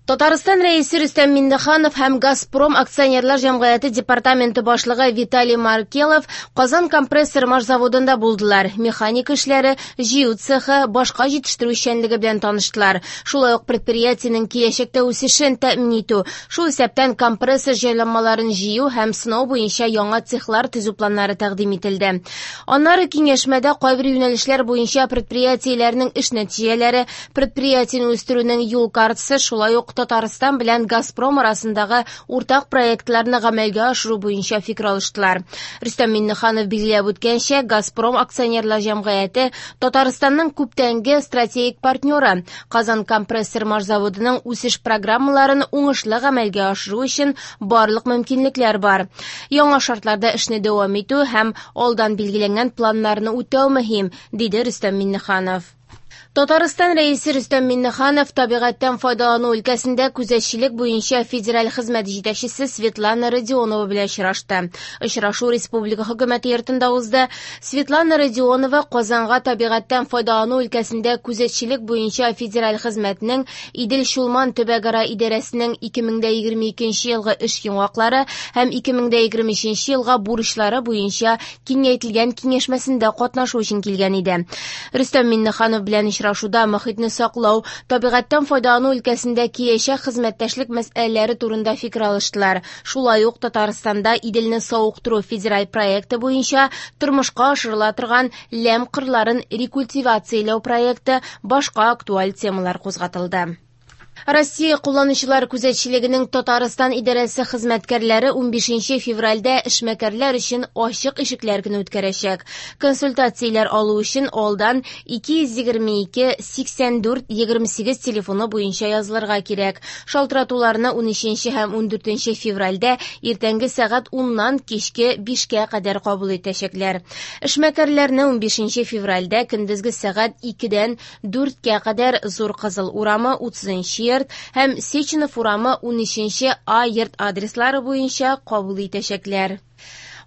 Татарстан Рәисе Рөстәм Миңнеханов һәм «Газпром» акционерлар җәмгыяте департаменты башлыгы Виталий Маркелов Казан компрессор машзаводында булдылар. Механика эшләре, җыю цехы, башка җитештерү эшчәнлеге белән таныштылар. Шулай ук предприятиенең киләчәктә үсешен тәэмин итү, шул исәптән компрессор җайланмаларын җыю һәм сынау буенча яңа цехлар төзү планнары тәкъдим ителде. Аннары киңәшмәдә кайбер юнәлешләр буенча предприятиеләрнең эш нәтиҗәләре, предприятиене үстерүнең юл картасы, шулай ук Татарстан белән «Газпром» арасындагы уртак проектларны гамәлгә ашыру буенча фикер алыштылар. Рөстәм Миңнеханов билгеләп үткәнчә, «Газпром» акционерлар җәмгыяте Татарстанның күптәнге стратегик партнеры. Казан компрессор машзаводының үсеш программаларын уңышлы гамәлгә ашыру өчен барлык мөмкинлекләр бар. Яңа шартларда эшне дәвам итү һәм алдан билгеләнгән планнарны үтәү мөһим, диде Рөстәм Миңнеханов. Татарстан Рәисе Рөстәм Миңнеханов табигатьтән файдалану өлкәсендә күзәтчелек буенча федераль хезмәт җитәкчесе Светлана Родионова белән очрашты. Очрашу республика хөкүмәте йортында узды. Светлана Родионова Казанга табигатьтән файдалану өлкәсендә күзәтчелек буенча федераль хезмәтнең Идел-Чулман төбәкара идарәсенең 2022 елгы эш йомгаклары һәм 2023 елга бурычлары буенча киңәйтелгән киңәшмәсендә катнашу өчен килгән иде. Рөстәм Миңнеханов белән очрашуда мохитне саклау, табигатьтән файдалану өлкәсендә киләчәк хезмәттәшлек мәсьәләләре турында фикер алыштылар. Шулай ук Татарстанда Иделне савыктыру федераль проекты буенча тормышка ашырыла торган ләм кырларын рекультивацияләү проекты, башка актуаль темалар кузгатылды. Россия кулланучылар күзәтчелегенең Татарстан идарәсе хезмәткәрләре 15 февральдә эшмәкәрләр өчен ачык ишекләр көне үткәрәчәк. Консультацияләр алу өчен алдан 222 84 28 телефоны буенча язылырга кирәк. Шалтыратуларны 13 һәм 14 февральдә иртәнге сәгать 10-нан кичке 5-кә кадәр кабул итәчәкләр. Эшмәкәрләрне 15 февральдә көндезге сәгать 2-дән 4-кә кадәр Зур Кызыл урамы 30 йорт һәм Сеченов урамы 13 А йорт адреслары буенча кабул итәчәкләр.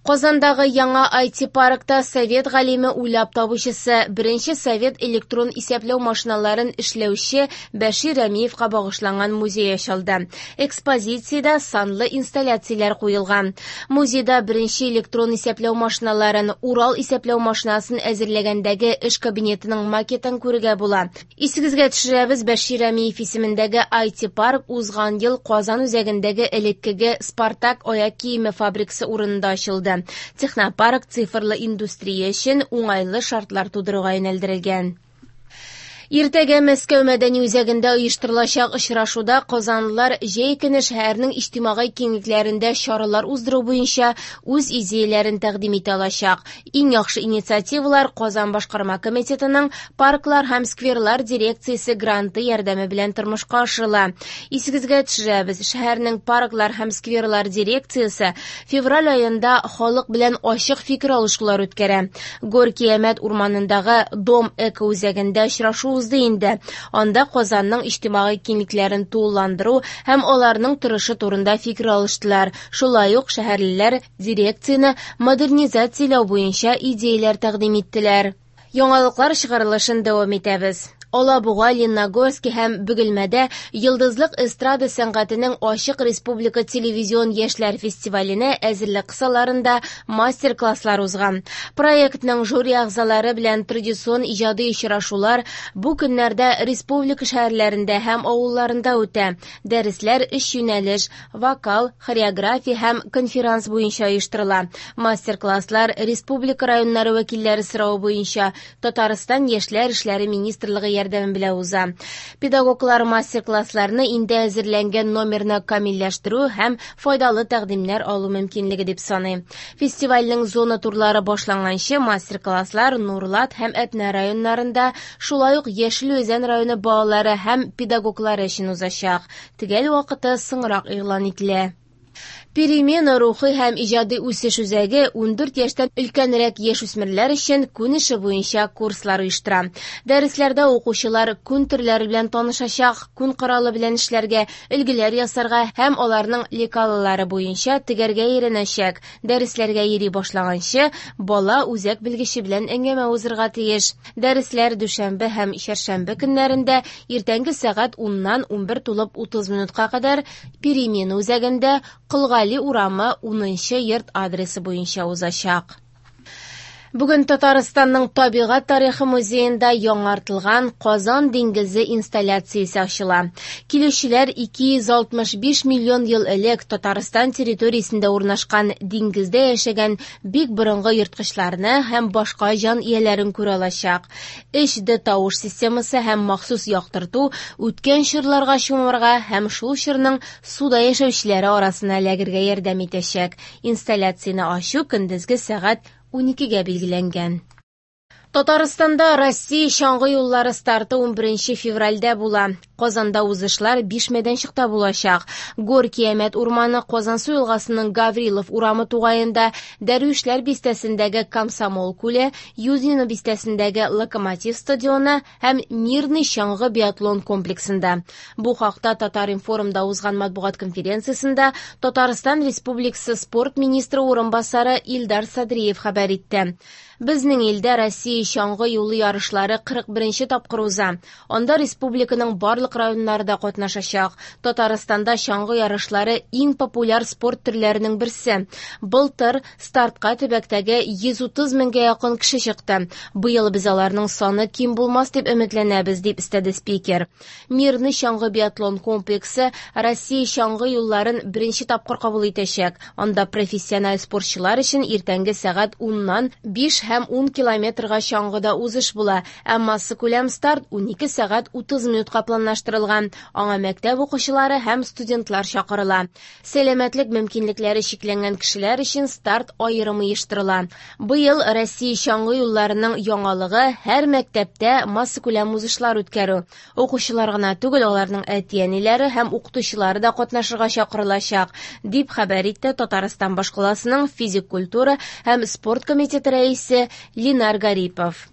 Казандагы яңа IT-паркта совет галиме уйлап табучысы, беренче совет электрон исәпләү машиналарын эшләүче Бәшир Рәмиевка багышланган музей ачылды. Экспозициядә санлы инсталляцияләр куелган. Музейда беренче электрон исәпләү машиналарын, Урал исәпләү машинасын әзерләгәндәге эш кабинетының макетын күрергә була. Исегезгә төшерәбез, Бәшир Рәмиев исемендәге IT-парк узган ел Казан үзәгендәге элеккеге Спартак аяк киеме фабрикасы урынында ачылды. Технопарк цифрлы индустрия өчен уңайлы шартлар тудыруга юнәлдерелгән. Иртәгә Мәскәү мәдәни үзәгендә оештырылачак очрашуда казанлылар җәй көне шәһәрнең иҗтимагый киңлекләрендә чаралар уздыру буенча үз идеяләрен тәкъдим итә алачак. Иң яхшы инициативалар Казан башкарма комитетының парклар һәм скверлар дирекциясе гранты ярдәме белән тормышка ашырыла. Исегезгә төшерәбез, шәһәрнең парклар һәм скверлар дирекциясе февраль аенда халык белән ачык фикер алышулар үткәрә. Горький Әмәт урманындагы Дом эко үзәгендә очрашу узды инде. Анда Казанның иҗтимагый киңлекләрен тулыландыру һәм аларның торышы турында фикер алыштылар. Шулай ук шәһәрлеләр дирекцияне модернизацияләү буенча идеяләр тәкъдим иттеләр. Яңалыклар чыгарылышын дәвам итәбез. Алабуга, Лениногорский һәм Бөгелмәдә Йолдызлык эстрада сәнгатенең ачык республика телевизион яшьләр фестиваленә әзерлек кысаларында мастер-класслар узган. Проектның жюри әгъзалары белән традицион иҗади очрашулар бу көннәрдә республика шәһәрләрендә һәм авылларында үтә. Дәресләр өч юнәлеш: вокал, хореография һәм конферанс буенча оештырыла. Мастер-класслар республика районнары вәкилләре соравы буенча Татарстан Яшьләр эшләре министрлыгы ярдәме белән уза. Педагоглар мастер-классларны инде әзерләнгән номерны камилләштерү һәм файдалы тәкъдимнәр алу мөмкинлеге дип саный. Фестивальнең зона турлары башланганчы мастер-класслар Нурлат һәм Әтнә районнарында, шулай ук Яшел Үзән районы балалары һәм педагоглары өчен узачак. Төгәл вакыты соңрак игълан ителә. Перемена рухи һәм иҗади үсеш үзәге 14 яшьтән өлкәнрәк яшүсмерләр өчен күн эше буенча курслар оештыра. Дәресләрдә укучылар күн төрләре белән танышачак, күн коралы белән эшләргә, өлгеләр ясарга һәм аларның лекалалары буенча тегәргә өйрәнәчәк. Дәресләргә йөри башлаганчы, бала үзәк белгече белән әңгәмә узырга тиеш. Дәресләр дүшәмбе һәм чәршәмбе көннәрендә иртәнге сәгать 10-нан 11 тулып 30 минутка кадәр Перемена үзәгендә Кол Гали урамы 10 нчы йорт адресы буенча узачак. Бүген Татарстанның табигать тарихы музеенда яңартылган Казан диңгезе инсталляциясе ачыла. Килүчеләр 265 миллион ел элек Татарстан территориясендә урнашкан диңгездә яшәгән бик борынгы ерткычларны һәм башка җан ияләрен күрә алачак. 3D тавыш системасы һәм махсус яктырту үткән чорларга чумырга һәм шул чорның суда яшәүчеләре арасына эләгергә ярдәм итәчәк. Инсталляцияне ачу көндезге сәгать 12-гә билгеләнгән. Татарстанда Россия чаңгы юллары старты 11 февральдә була. Казанда узышлар 5 мәйданчыкта булачак. Горки Әмәт урманы Казансу елгасының Гаврилов урамы тугаенда, Дәрвишләр бистәсендәге Комсомол күле, Юдино бистәсендәге Локомотив стадионы һәм Мирный чаңгы биатлон комплексында. Бу хакта Татар-информда узган матбугат конференциясендә Татарстан Республикасы спорт министры урынбасары Илдар Садриев хәбәр итте. Безнең илдә Россия чаңгы юлы ярышлары 41 тапкыр уза. Анда республиканың барлык районнары да катнашачак. Татарстанда чаңгы ярышлары иң популяр спорт төрләренең берсе. Былтыр стартка төбәктәге 130 меңгә якын кеше чыкты. Быел без аларның саны ким булмас дип өметләнәбез, дип өстәде спикер. Мирный чаңгы биатлон комплексы Россия чаңгы юлларын беренче тапкыр кабул итәчәк. Анда профессиональ спортчылар өчен иртәнге сәгать 10-нан 5 һәм 10 километрга чаңгыда узыш була, ә массакүләм старт 12 сәгать 30 минутка планлаштырылган. Аңа мәктәп укучылары һәм студентлар чакырыла. Сәламәтлек мөмкинлекләре чикләнгән кешеләр өчен старт аерым оештырыла. Быел Россия чаңгы юлларының яңалыгы һәр мәктәптә массакүләм узышлар үткәрү. Укучылар гына түгел, аларның әти-әниләре һәм укытучылары да катнашырга чакырылачак, дип хәбәр итте Татарстан башкаласының физик культура һәм спорт комитеты рәисе Ленар Гарипов.